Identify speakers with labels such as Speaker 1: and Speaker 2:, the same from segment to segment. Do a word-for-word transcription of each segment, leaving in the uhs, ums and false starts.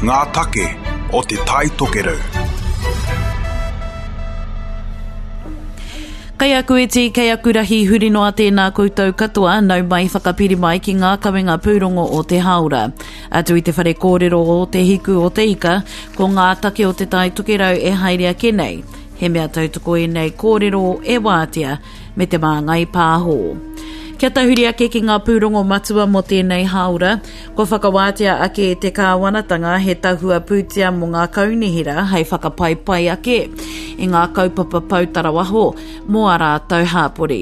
Speaker 1: Ngā take o Te Tai Tokerau.
Speaker 2: Kei aku iti, kei aku rahi, huri noa tēnā koutou katoa, nau mai whakapiri mai ki ngā kawenga pūrongo o te hāora. Atu i te whare kōrero o Te Hiku o Te Ika, ko ngā take o Te Tai Tokerau e haere ake nei. He mea tautoko ēnei kōrero e wātea me te māngai pāho. Kia tahuri ake ki ngā pūrongo matua mō tēnei hāora, kua whakawātea ake e te kāwanatanga he tahua pūtea mō ngā kaunihera hei whakapaipai ake i ngā kaupapa pou tarawaho mō ā rātou hāpori.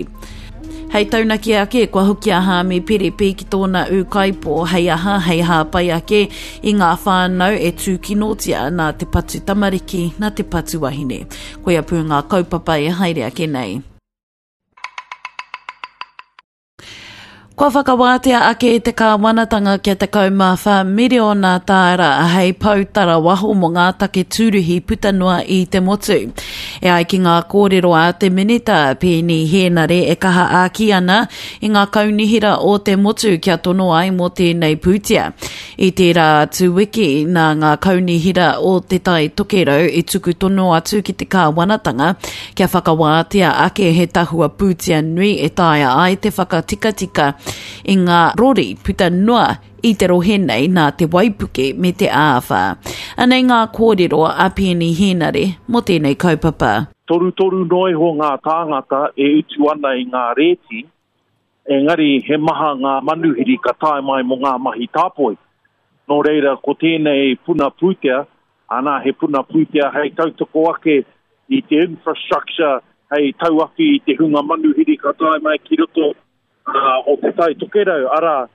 Speaker 2: Hei taunaki ake, kua hoki a Haami Piripi ki tōna ūkaipō hei aha, hei hāpai ake i ngā whānau e tūkinotia nā te patu tamariki, nā te patu wahine. Koia pū ngā kaupapa e haere ake nei. Kua whakawātea ake e te kāwanatanga kia tekau mā whā miriona tāra hei pou tarawaho mō ngā take tūruhi puta noa i te motu. E ai ki ngā kōrero a te Minita Peeni Hēnare e kaha āki ana i ngā kaunihera o te motu kia tono ai mō tēnei pūtea. I tērā atu wiki, nā ngā kaunihera o Te Tai Tokerau i tuku tono atu ki te kāwanatanga kia whakawātea ake he tahua pūtea nui e taea ai te whakatikatika i ngā rori puta noa i te rohe nei nā te waipuke me te āwhā. Anei ngā kōrero a Peeni Hēnare mō tēnei kaupapa.
Speaker 3: Torutoru noa iho ngā tāngata e utu ana i ngā rēti, engari he maha ngā manuhiri ka tae mai mō ngā mahi tāpoi. Nō reira, ko tēnei puna pūtea, ana he puna pūtea hei tautoko ake i te infrastructure, hei tauawhi i te hunga manuhiri ka tae mai ki roto o Te Tai Tokerau, arā,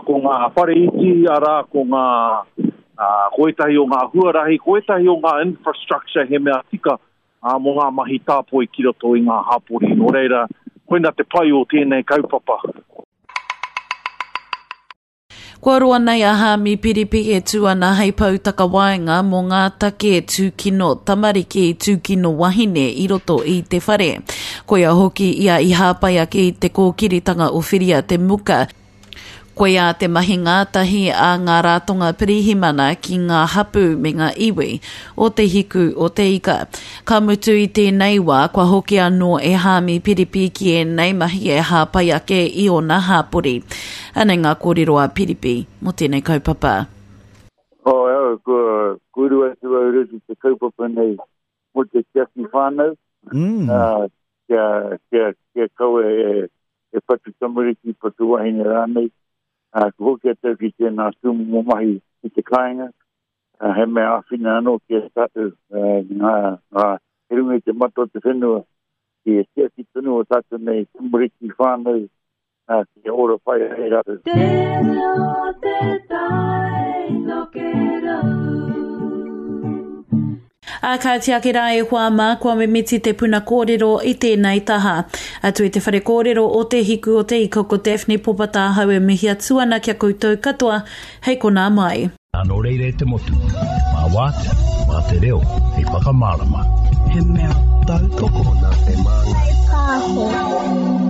Speaker 3: ko ngā whare iti, arā, ko ngā, ko ētahi o ngā huarahi, ko ētahi o ngā infrastructure he mea tika mō ngā mahi tāpoi ki roto i ngā hapori. Nō reira, koina te pai o tēnei kaupapa.
Speaker 2: Kua roa nei a Haami Piripi e tū ana hei pou takawaenga mō ngā take tūkino tamariki, tūkino wahine i roto i te whare. Koia hoki ia i hāpai ake i te kōkiritanga o Whiria te Muka. Koia te mahi ngātahi a ngā ratonga pirihimana ki ngā hapū me ngā iwi o Te Hiku o Te Ika. Ka mutu i tēnei wā, kua hoki anō e Haami Piripi ki ēnei mahi e hāpai ake i ōna hāpori. Anei ngā kōrero a Piripi mō tēnei kaupapa.
Speaker 4: Oh, au, kua uru atu au roto i te kaupapa nei mō te tiaki whānau, mm. uh, kia, kia, kia kaua e, e patu tamariki, patu wahine rānei. Uh, ko hoki atu ki tēnā tūmomo mahi i te kāinga, uh, he mea āwhina anō ki a tātou, uh, ngā, ngā, he runga i te mata o te whenua, ki e tiaki tonu o tātou nei tamariki whānau, uh, ki ora pai ai rātou. Te reo te tai
Speaker 2: tokerau. Ā, kāti ake rā e hoa mā, kua mimiti te puna kōrero i tēnei taha. Atu i te whare kōrero o Te Hiku o Te Ika ko Daphne Popatāhau e mihi atu ana ki a koutou katoa, hei konā mai.
Speaker 5: Nō reira e te motu, mā wātea, mā te reo, hei whakamārama.
Speaker 6: He mea tautoko
Speaker 7: nā te Māngai Pāho.